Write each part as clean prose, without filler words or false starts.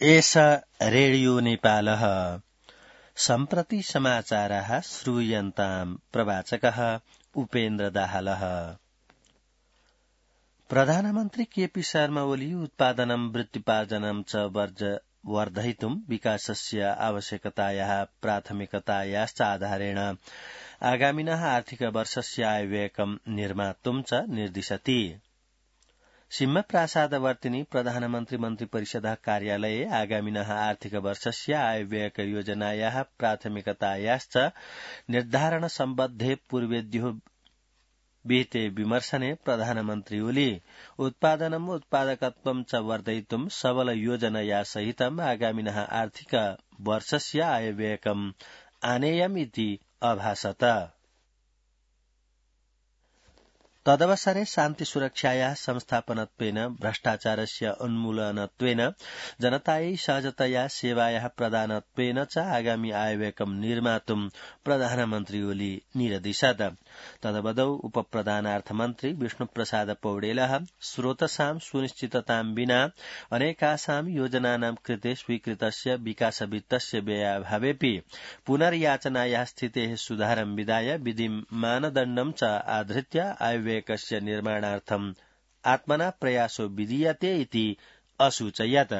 एष रेडियो नेपालः सम्प्रति समाचाराः श्रूयन्ताम् प्रवाचकः उपेन्द्र दाहालः। प्रधानमन्त्री केपी शर्मा ओली उत्पादनं वृत्तिपार्जनं च वर्धयितुं विकासस्य आवश्यकतायाः प्राथमिकतायाश्च आधारेण आगामिनः आर्थिक वर्षस्य आयव्ययकं निर्मातुं च निर्दिशति। सिंहप्रासादवर्तिनि प्रधानमन्त्री मन्त्रिपरिषदः कार्यालये आगामिनः आर्थिक वर्षस्य आयव्ययक योजनायाः प्राथमिकतायाश्च निर्धारण सम्बद्धे पूर्वेद्युः विहिते विमर्शने प्रधानमन्त्री ओली उत्पादनम् उत्पादकत्वं च वर्धयितुं सबल योजनया सहितम् आगामिनः आर्थिक वर्षस्य आयव्ययकम् आनेयम् इति अभाषत। तदवसरे शान्ति सुरक्षायाः संस्थापनत्वेन भ्रष्टाचारस्य उन्मूलनत्वेन जनतायै सहजतया सेवायाः प्रदानत्वेन च आगामी आयव्ययकं निर्मातुं प्रधानमन्त्री ओली निरदिशत्। तदवदौ उपप्रधानार्थमन्त्री विष्णुप्रसाद पौडेलः स्रोतसां सुनिश्चिततां विना अनेकासां योजनानां कृते स्वीकृतस्य विकासवित्तस्य व्ययाभावेऽपि पुनर्याचनायाः स्थितेः सुधारं विधाय विधिं मानदण्डं च आधृत्य आयव्ययकस्य निर्माणार्थम् आत्मना प्रयासो विधीयते इति असूचयत्।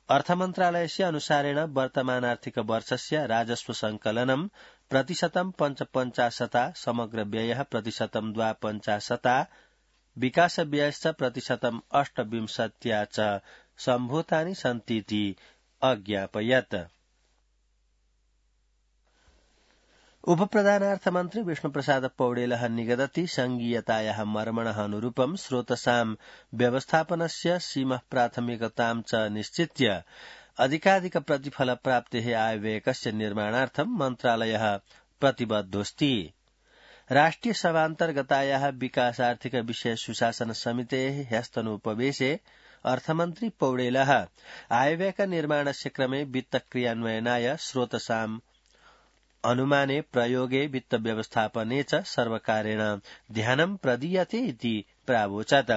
अर्थमन्त्रालयस्य अनुसारेण वर्तमान आर्थिक वर्षस्य राजस्व संकलनं प्रतिशतं 55%, समग्र व्ययः प्रतिशतं 52%, विकास व्ययश्च प्रतिशतं 28% च सम्भूतानि सन्तीति अज्ञापयत्। उपप्रधानार्थमन्त्री विष्णुप्रसाद पौडेलः निगदति संघीयतायाः मर्मणः अनुरूपं स्रोतसां व्यवस्थापनस्य सीमः प्राथमिकतां च निश्चित्य अधिकाधिक प्रतिफल प्राप्तेः आयव्ययकस्य निर्माणार्थं मन्त्रालयः प्रतिबद्धोऽस्ति। राष्ट्रिय सभान्तर्गतायाः विकासार्थिक विषय सुशासन समितेः ह्यस्तनोपवेशे अर्थमन्त्री पौडेलः आयव्ययक निर्माणस्य क्रमे वित्त क्रियान्वयनाय स्रोतसां अनुमाने प्रयोगे वित्त व्यवस्थापने च सर्वकारेण ध्यानं प्रदीयते इति प्रावोचत्।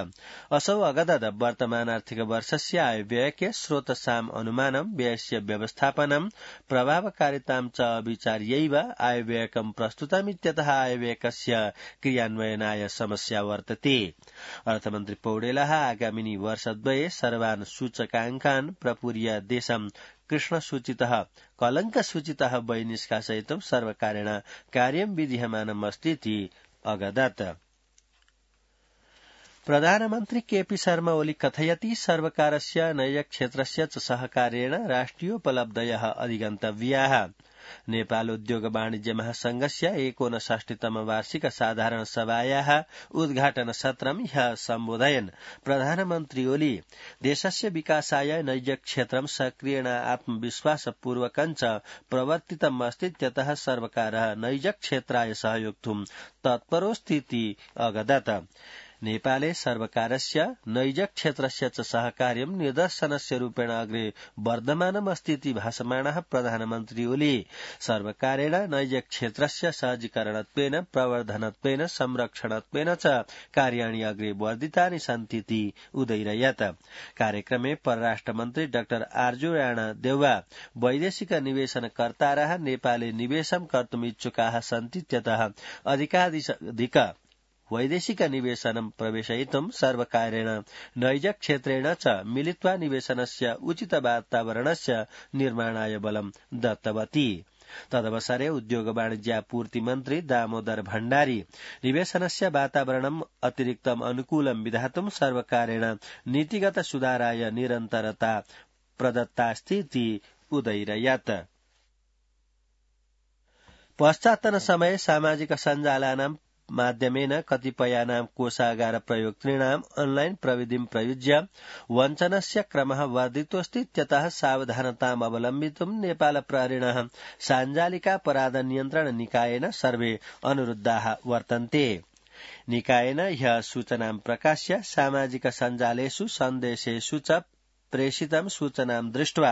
असौ अगदद वर्तमान आर्थिक वर्षस्य आयव्ययके स्रोतसाम् अनुमानं व्ययस्य व्यवस्थापनं प्रभावकारितां च विचार्यैव आयव्ययकं प्रस्तुतमित्यतः आयव्ययकस्य क्रियान्वयनाय समस्या वर्तते। अर्थमन्त्री पौडेलः आगामिनि वर्षद्वये सर्वान् सूचकाङ्कान् प्रपूर्य देशं कृष्णसूचितः कलङ्कसूचितः वैनिष्कासयितुं सर्वकारेण कार्यं विधीयमानमस्तीति अगदत्। प्रधानमन्त्री केपी शर्मा ओली कथयति सर्वकारस्य नैजक्षेत्रस्य च सहकार्येण राष्ट्रियोपलब्धयः अधिगन्तव्याः। नेपाल उद्योग वाणिज्य महासंघस्य 59तम वार्षिक साधारण सभायाः उद्घाटन सत्रं ह्यः सम्बोधयन् प्रधानमन्त्री ओली देशस्य विकासाय नैजक्षेत्रं सक्रियेण आत्मविश्वासपूर्वकं च प्रवर्तितम् अस्तीत्यतः सर्वकारः नैजक्षेत्राय सहयोक्तुं तत्परोऽस्तीति अगदत्। नेपाले सर्वकारस्य नैजक्षेत्रस्य च सहकार्यं निदर्शनस्य रूपेण अग्रे वर्धमानमस्तीति भाषमाणः प्रधानमन्त्री ओली सर्वकारेण नैजक्षेत्रस्य सहजीकरणत्वेन प्रवर्धनत्वेन संरक्षणत्वेन च कार्याणि अग्रे वर्धितानि सन्तीति उदैरयत्। कार्यक्रमे परराष्ट्रमन्त्री डाक्टर आर्जु राणा देउवा वैदेशिक निवेशनकर्तारः नेपाले निवेशं कर्तुम् इच्छुकाः सन्तीत्यतः अधिकाधिक वैदेशिक निवेशनं प्रवेशयितुं सर्वकारेण नैजक्षेत्रेण च मिलित्वा निवेशनस्य उचित वातावरणस्य निर्माणाय बलं दत्तवती। तदवसरे उद्योग वाणिज्यापूर्ति मन्त्री दामोदर भण्डारी निवेशनस्य वातावरणम् अतिरिक्तम् अनुकूलं विधातुं सर्वकारेण नीतिगत सुधाराय निरन्तरता प्रदत्तास्तीति उदैरयत्। पश्चात्तन समये सामाजिक सञ्जालानां माध्यमेन कतिपयानां कोषागार प्रयोक्तॄणां ऑनलाइन प्रविधिं प्रयुज्य वञ्चनस्य क्रमः वर्धितोऽस्तीत्यतः सावधानताम् अवलम्बितुं नेपाल प्रहरिणः साञ्जालिकापराध नियन्त्रण निकायेन सर्वे अनुरुद्धाः वर्तन्ते। निकायेन ह्यः सूचनां प्रकाश्य सामाजिक सञ्जालेषु सन्देशेषु च प्रेषितं सूचनां दृष्ट्वा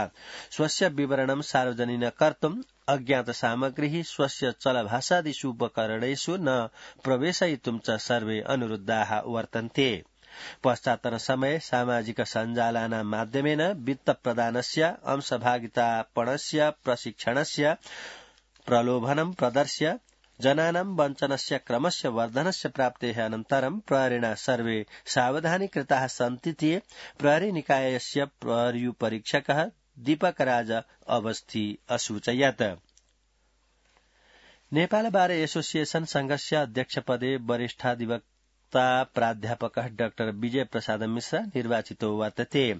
स्वस्य विवरणं सार्वजनिक कर्तुं अज्ञात सामग्री स्वस्य चलभाषादिषु उपकरणेषु न प्रवेशयितुं च सर्वे अनुरुद्धाः वर्तन्ते। पश्चात्तन समये सामाजिक सञ्जालानां माध्यमेन वित्त प्रदानस्य अंशभागितापणस्य प्रशिक्षणस्य प्रलोभनं प्रदर्श्य जनानां वञ्चनस्य क्रमस्य वर्धनस्य प्राप्तेः अनन्तरं प्रहरिणा सर्वे सावधानीकृताः सन्तीति प्रहरी निकायस्य प्रहर्युपरीक्षकः दीपकराज अवस्थी असूचयत्। नेपाल बार एसोसिएशन संघस्य अध्यक्षपदे वरिष्ठाधिवक्ता प्राध्यापकः डाक्टर विजय प्रसाद मिश्र निर्वाचितो वर्तते।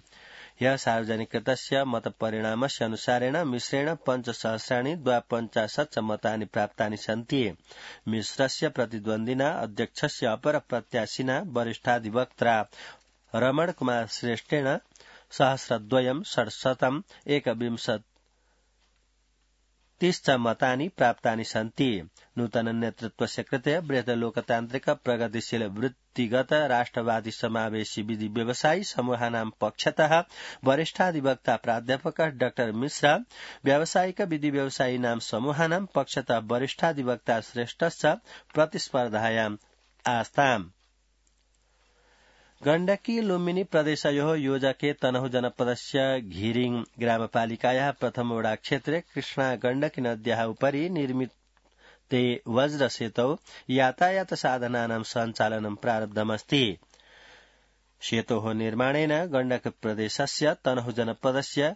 ह्यः सार्वजनिकृतस्य मतपरिणामस्य अनुसारेण मिश्रेण 5,250 मतानि प्राप्तानि सन्ति। मिश्रस्य प्रतिद्वन्दिना अध्यक्षस्य अपर प्रत्याशिना वरिष्ठाधिवक्ता रमण कुमार श्रेष्ठेन 1,600,121 मतानि प्राप्तानि सन्ति। नूतन नेतृत्वस्य कृते बृहत् लोकतान्त्रिक प्रगतिशील वृत्तिगत राष्ट्रवादी समावेशी विधि व्यवसायी समूहानां पक्षतः वरिष्ठाधिवक्ता प्राध्यापकः डाक्टर मिश्र, व्यावसायिक विधि व्यवसायिनां समूहानां पक्षतः वरिष्ठाधिवक्ता श्रेष्ठश्च प्रतिस्पर्धायाम् आस्ताम्। गण्डकी लुम्बिनी प्रदेशयोः योजके तनहु जनपदस्य घिरिङ ग्रामपालिकायाः प्रथम वडा क्षेत्रे कृष्णा गण्डकी नद्याः उपरि निर्मिते वज्रसेतौ यातायात साधनानां सञ्चालनं प्रारब्धमस्ति। सेतोः निर्माणेन गण्डक प्रदेशस्य तनहु जनपदस्य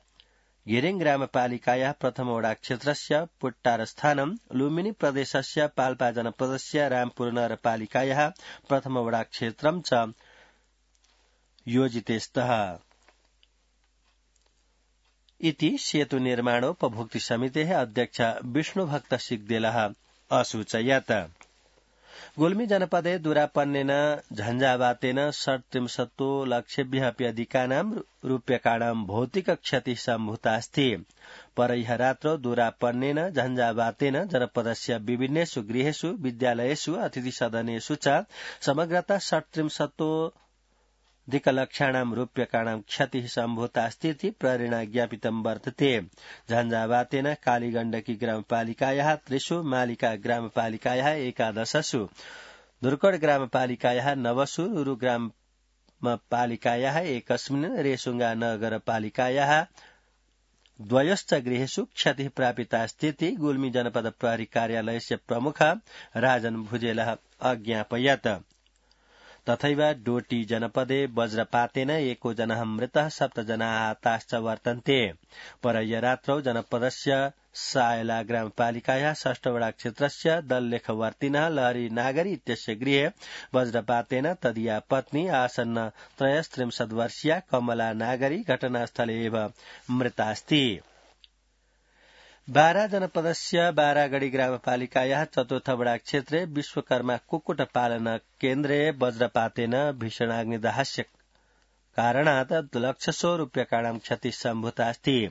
घिरिङ ग्रामपालिकायाः प्रथम वडा क्षेत्रस्य पुट्टारस्थानं, लुम्बिनी प्रदेशस्य पाल्पा जनपदस्य रामपुर नगरपालिकायाः प्रथम वडा क्षेत्रं च योजिते स्तः इति सेतु निर्माणोपभोक्तृ समितेः अध्यक्ष विष्णुभक्त सिग्देलः असूचयत्। गुल्मी जनपदे दुरापन्नेन झञ्झावातेन 37 लक्षेभ्यः अपि अधिकानां रूप्यकाणां भौतिक क्षतिः सम्भूतास्ति। परह्य रात्रौ दुरापन्नेन झञ्झावातेन जनपदस्य विभिन्नेषु गृहेषु, विद्यालयेषु, अतिथिसदनेषु च समग्रतः 37,00,000 रूप्यकाणां क्षतिः सम्भूतास्तीति प्रहरिणा ज्ञापितं वर्तते। झञ्झावातेन कालीगण्डकी ग्रामपालिकायाः 3 मालिका ग्रामपालिकायाः 11, दुर्कड ग्रामपालिकायाः 9, रुरु ग्रामपालिकायाः 1, रेसुङ्गा नगरपालिकायाः 2 गृहेषु क्षतिः प्रापितास्तीति गुल्मी जनपद प्रहरी कार्यालयस्य प्रमुख राजन भुजेलः अज्ञापयत्। तथैव डोटी जनपदे वज्रपातेन 1 जनः मृतः 7 जनाः आहताश्च वर्तन्ते। परह्य रात्रौ जनपदस्य सायला ग्रामपालिकायाः 6 वडा क्षेत्रस्य दललेखवर्तिनः लहरी नागरी इत्यस्य गृहे वज्रपातेन तदीया पत्नी आसन्न 33 वर्षीया कमला नागरी घटनास्थले एव मृतास्ति। बारा जनपदस्य बारागढ़ी ग्रामपालिकायाः 4 वडा क्षेत्रे विश्वकर्मा कुक्कुट पालन केन्द्रे वज्रपातेन भीषणाग्निदाहस्य कारणात् लक्षशो रूप्यकाणां क्षतिः सम्भूतास्ति।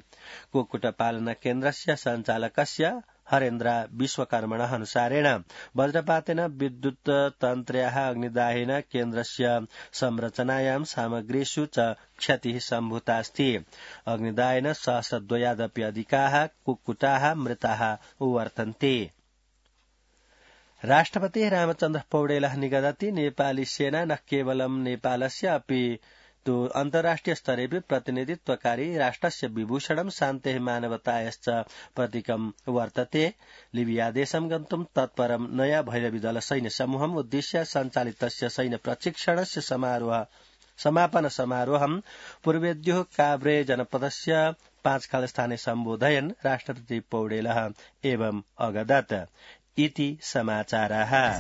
कुक्कुट पालन केन्द्रस्य सञ्चालकस्य हरेन्द्र विश्वकर्मणः अनुसारेण वज्रपातेन विद्युत् तन्त्र्याः अग्निदाहेन केन्द्रस्य संरचनायां सामग्रीषु च क्षतिः सम्भूतास्ति। अग्निदाहेन 1,200 अधिकाः कुक्कुटाः मृताः वर्तन्ते। राष्ट्रपतिः रामचन्द्र पौडेलः निगदति नेपाली सेना न केवलं नेपालस्य अपि तु अन्ताराष्ट्रिय स्तरेऽपि प्रतिनिधित्वकारी राष्ट्रस्य विभूषणं शान्तेः मानवतायाश्च प्रतीकं वर्तते। लिबिया देशं गन्तुं तत्परं नया भैरवीदल सैन्य समूहम् उद्दिश्य सञ्चालितस्य सैन्य प्रशिक्षणस्य समापन समारोहं पूर्वेद्युः काभ्रे जनपदस्य 5 स्थाने सम्बोधयन् राष्ट्रपति पौडेलः एवं अगदत् इति समाचाराः।